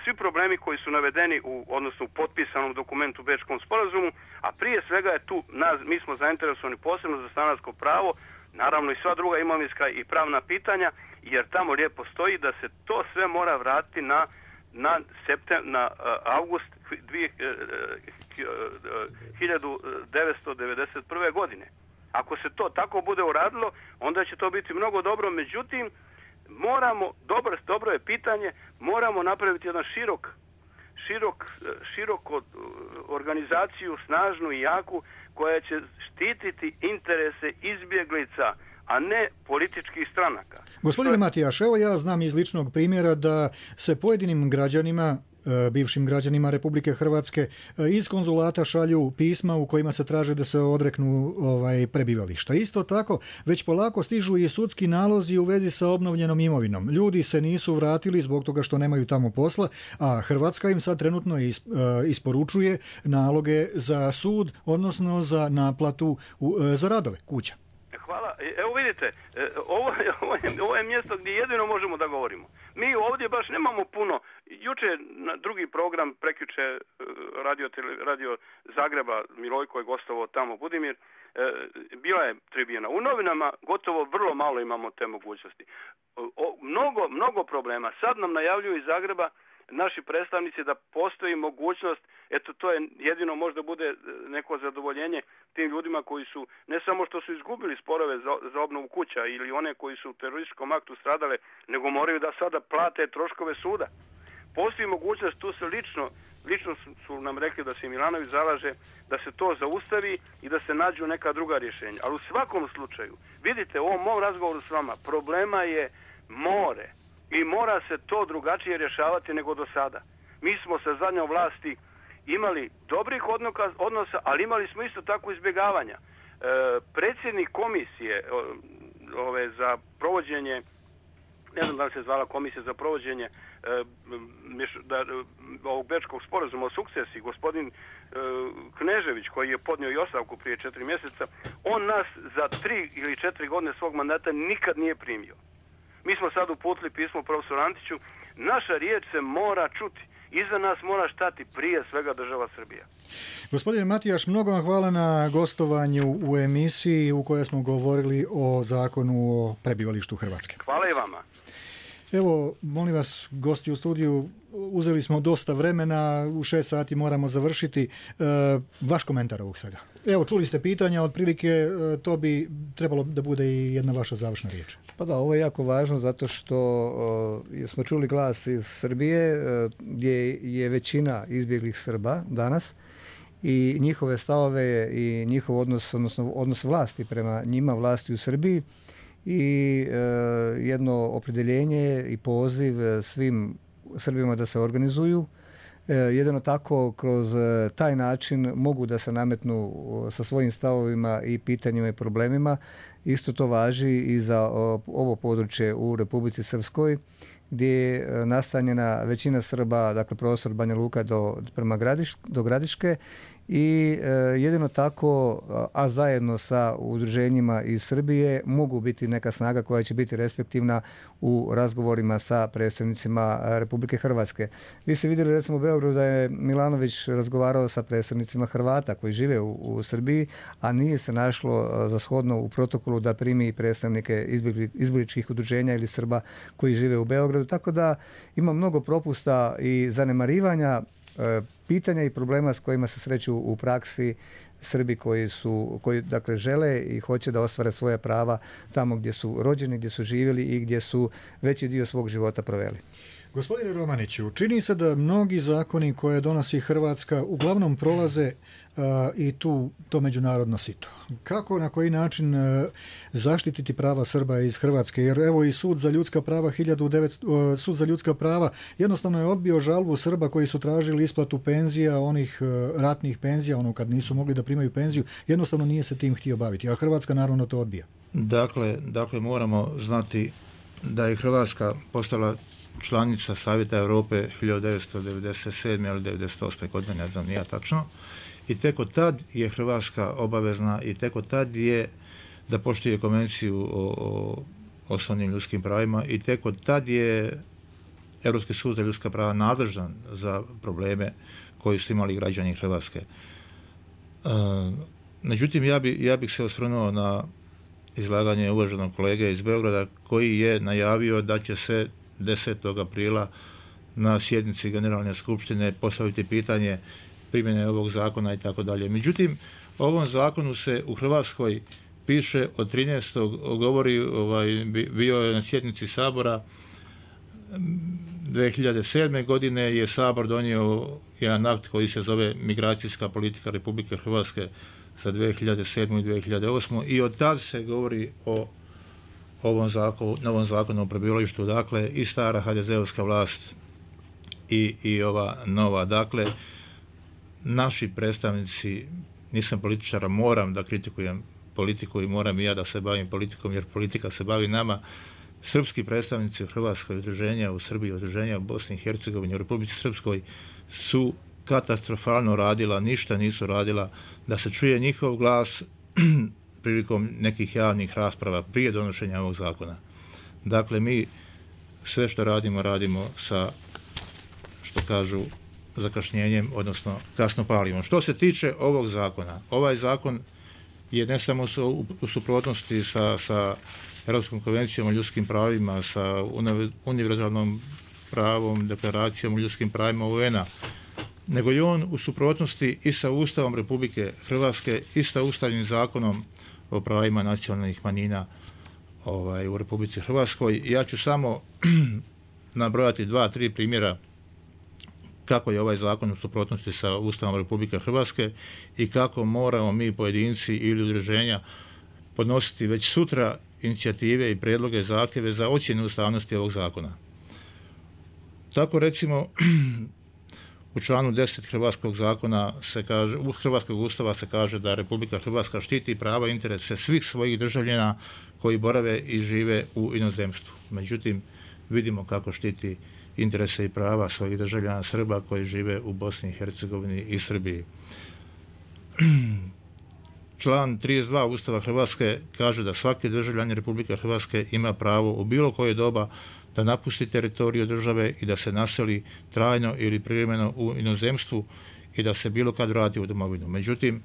[SPEAKER 9] svi problemi koji su navedeni odnosno u potpisanom dokumentu u Bečkom sporazumu, a prije svega je tu, mi smo zainteresovani posebno za stanarsko pravo, naravno i sva druga imovinska i pravna pitanja, jer tamo lijepo stoji da se to sve mora vratiti na august 1991. godine. Ako se to tako bude uradilo, onda će to biti mnogo dobro, međutim, dobro je pitanje, moramo napraviti jedan širok organizaciju, snažnu i jaku, koja će štititi interese izbjeglica, a ne političkih stranaka.
[SPEAKER 2] Gospodine Matijaš, evo ja znam iz ličnog primjera da se pojedinim građanima, bivšim građanima Republike Hrvatske, iz konzulata šalju pisma u kojima se traže da se odreknu prebivališta. Isto tako, već polako stižu i sudski nalozi u vezi sa obnovljenom imovinom. Ljudi se nisu vratili zbog toga što nemaju tamo posla, a Hrvatska im sad trenutno isporučuje naloge za sud, odnosno za naplatu za radove kuća.
[SPEAKER 9] Hvala. Evo vidite, ovo je mjesto gdje jedino možemo da govorimo. Mi ovdje baš nemamo puno. Juče na drugi program, prekjuče radio Zagreba, Milojko je gostovao tamo, Budimir, bila je tribina. U novinama gotovo vrlo malo imamo te mogućnosti. Mnogo problema. Sad nam najavljuju iz Zagreba naši predstavnici da postoji mogućnost, eto to je jedino možda bude neko zadovoljenje tim ljudima koji su, ne samo što su izgubili sporove za obnovu kuća ili one koji su u terorističkom aktu stradale, nego moraju da sada plate troškove suda. Postoji mogućnost, tu se lično su nam rekli da se Milanović zalaže da se to zaustavi i da se nađu neka druga rješenja. Ali u svakom slučaju, vidite, u ovom mom razgovoru s vama, problema je more. I mora se to drugačije rješavati nego do sada. Mi smo sa zadnjom vlasti imali dobrih odnosa, ali imali smo isto tako izbjegavanja. Predsjednik komisije za provođenje, ne znam da li se zvala komisija za provođenje ovog Bečkog sporazuma o sukcesiji, gospodin Knežević, koji je podnio i ostavku prije 4 mjeseca, on nas za 3 ili 4 godine svog mandata nikad nije primio. Mi smo sad uputili pismo profesoru Antiću. Naša riječ se mora čuti. Iza nas mora stati prije svega država Srbija.
[SPEAKER 2] Gospodine Matijaš, mnogo vam hvala na gostovanju u emisiji u kojoj smo govorili o zakonu o prebivalištu Hrvatske.
[SPEAKER 9] Hvala i vama.
[SPEAKER 2] Evo, molim vas, gosti u studiju, uzeli smo dosta vremena, u 6 sati moramo završiti. Vaš komentar ovog svega. Evo, čuli ste pitanja, otprilike to bi trebalo da bude i jedna vaša završna riječ.
[SPEAKER 7] Pa da, ovo je jako važno zato što smo čuli glas iz Srbije gdje je većina izbjeglih Srba danas i njihove stavove i njihov odnos, odnosno odnos vlasti prema njima, vlasti u Srbiji i jedno opredjeljenje i poziv svim Srbima da se organizuju. Jedino tako kroz taj način mogu da se nametnu sa svojim stavovima i pitanjima i problemima. Isto to važi i za ovo područje u Republici Srpskoj gdje je nastanjena većina Srba, dakle prostor Banja Luka do Gradiške i jedino tako, a zajedno sa udruženjima iz Srbije mogu biti neka snaga koja će biti respektivna u razgovorima sa predstavnicima Republike Hrvatske. Vi ste vidjeli recimo u Beogradu da je Milanović razgovarao sa predstavnicima Hrvata koji žive u Srbiji, a nije se našlo za shodno u protokolu da primi predstavnike izbjegličkih udruženja ili Srba koji žive u Beogradu. Tako da ima mnogo propusta i zanemarivanja pitanja i problema s kojima se sreću u praksi Srbi koji dakle žele i hoće da ostvare svoja prava tamo gdje su rođeni, gdje su živjeli i gdje su veći dio svog života proveli.
[SPEAKER 2] Gospodine Romaniću, čini se da mnogi zakoni koje donosi Hrvatska uglavnom prolaze i to međunarodno sito. Kako, na koji način zaštititi prava Srba iz Hrvatske? Jer evo i Sud za ljudska prava Sud za ljudska prava jednostavno je odbio žalbu Srba koji su tražili isplatu penzija, onih ratnih penzija, ono kad nisu mogli da primaju penziju, jednostavno nije se tim htio baviti, a Hrvatska naravno to odbija.
[SPEAKER 8] Dakle, moramo znati da je Hrvatska postala članica Savjeta Europe 1997. ili 1998. godine, ne znam nija tačno. I tek od tad je Hrvatska obavezna i tek od tad je da poštuje konvenciju o osnovnim ljudskim pravima i tek od tad je Europski sud za ljudska prava nadležan za probleme koji su imali građani Hrvatske. Međutim, ja bih se osvrnuo na izlaganje uvaženog kolege iz Beograda koji je najavio da će se 10. aprila na sjednici Generalne skupštine postaviti pitanje primjene ovog zakona i tako dalje. Međutim, o ovom zakonu se u Hrvatskoj piše od 13. govori, bio je na sjednici Sabora 2007. godine je Sabor donio jedan akt koji se zove Migracijska politika Republike Hrvatske za 2007. i 2008. i od tad se govori o novom zakonu o prebivalištu, dakle i stara HDZ-ovska vlast i ova nova. Dakle, naši predstavnici, nisam političara, moram da kritikujem politiku i moram i ja da se bavim politikom jer politika se bavi nama. Srpski predstavnici u Hrvatskoj, udruženja u Srbiji, udruženja u Bosni i Hercegovini, u Republici Srpskoj su katastrofalno radila, ništa nisu radila da se čuje njihov glas prilikom nekih javnih rasprava prije donošenja ovog zakona. Dakle, mi sve što radimo sa, što kažu, zakašnjenjem, odnosno kasno palimo. Što se tiče ovog zakona, ovaj zakon je ne samo u suprotnosti sa Europskom konvencijom o ljudskim pravima, sa univerzalnom pravom, deklaracijom o ljudskim pravima UN-a, nego je on u suprotnosti i sa Ustavom Republike Hrvatske i sa Ustavnim zakonom o pravima nacionalnih manjina u Republici Hrvatskoj. Ja ću samo nabrojati 2-3 primjera kako je ovaj zakon u suprotnosti sa Ustavom Republike Hrvatske i kako moramo mi pojedinci ili udruženja podnositi već sutra inicijative i prijedloge, zahtjeve za ocjenu ustavnosti ovog zakona. Tako recimo u članu 10 Hrvatskog zakona se kaže, u Hrvatskog ustava se kaže da Republika Hrvatska štiti prava i interese svih svojih državljana koji borave i žive u inozemstvu. Međutim, vidimo kako štiti interese i prava svojih državljana Srba koji žive u Bosni i Hercegovini i Srbiji. Član 32 Ustava Hrvatske kaže da svaki državljanin Republike Hrvatske ima pravo u bilo koje doba da napusti teritoriju države i da se naseli trajno ili privremeno u inozemstvu i da se bilo kad vrati u domovinu. Međutim,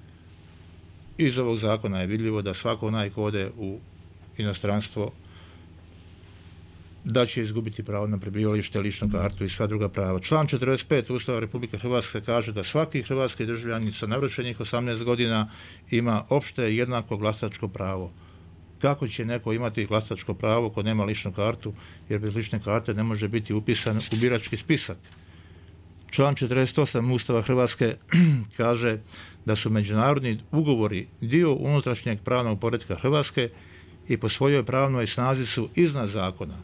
[SPEAKER 8] iz ovog zakona je vidljivo da svako onaj ko ode u inostranstvo da će izgubiti pravo na prebivalište, ličnu kartu i sva druga prava. Član 45 Ustava Republike Hrvatske kaže da svaki hrvatski državljanin sa navršenih 18 godina ima opšte jednako glasačko pravo. Kako će neko imati glasačko pravo ko nema ličnu kartu, jer bez lične karte ne može biti upisan u birački spisak? Član 48 Ustava Hrvatske kaže da su međunarodni ugovori dio unutrašnjeg pravnog poretka Hrvatske i po svojoj pravnoj snazi su iznad zakona.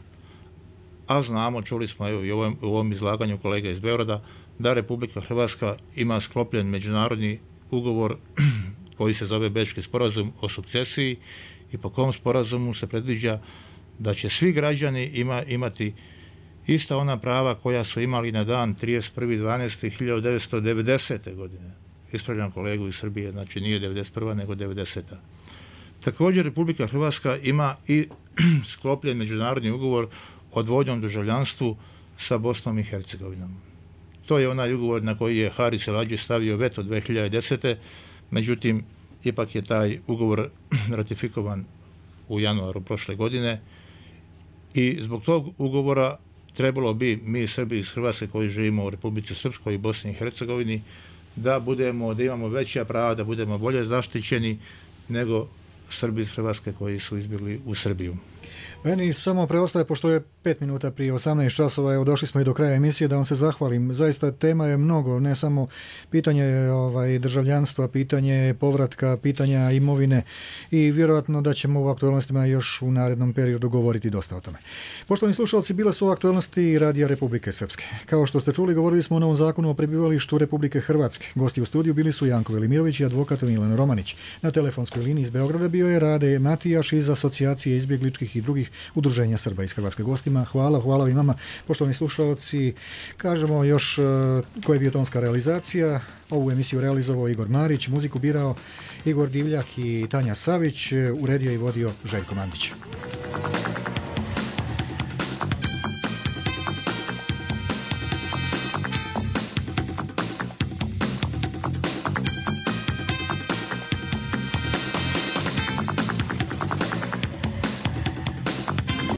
[SPEAKER 8] A znamo, čuli smo i u ovom izlaganju kolega iz Beograda, da Republika Hrvatska ima sklopljen međunarodni ugovor koji se zove Bečki sporazum o sukcesiji i po kom sporazumu se predviđa da će svi građani imati ista ona prava koja su imali na dan 31.12.1990. godine. Ispravljam kolegu iz Srbije, znači nije 91. nego 90. Također Republika Hrvatska ima i sklopljen međunarodni ugovor o dvojnom državljanstvu sa Bosnom i Hercegovinom. To je onaj ugovor na koji je Haris El-Hadži stavio veto 2010. Međutim, ipak je taj ugovor ratifikovan u januaru prošle godine i zbog tog ugovora trebalo bi mi Srbi iz Hrvatske koji živimo u Republici Srpskoj i Bosni i Hercegovini da imamo veća prava, da budemo bolje zaštićeni nego Srbi iz Hrvatske koji su izbjegli u Srbiju.
[SPEAKER 2] Meni samo preostaje, pošto je 5 minuta prije 18 časova, evo došli smo i do kraja emisije, da vam se zahvalim. Zaista tema je mnogo, ne samo pitanje državljanstva, pitanje povratka, pitanja imovine i vjerojatno da ćemo u aktualnostima još u narednom periodu govoriti dosta o tome. Poštovani slušalci, bile su aktualnosti Radija Republike Srpske. Kao što ste čuli, govorili smo o novom zakonu o prebivalištu Republike Hrvatske. Gosti u studiju bili su Janko Velimirović i advokat Milan Romanić. Na telefonskoj liniji iz Beograda bio je Rade Matijaš iz Asocijacije izbjegličkih i drugih udruženja Srba iz Hrvatske. Gostima, hvala i vama. Poštovani slušalci, kažemo još koja je bio tonska realizacija. Ovu emisiju realizovao Igor Marić, muziku birao Igor Divljak i Tanja Savić, uredio i vodio Željko Mandić.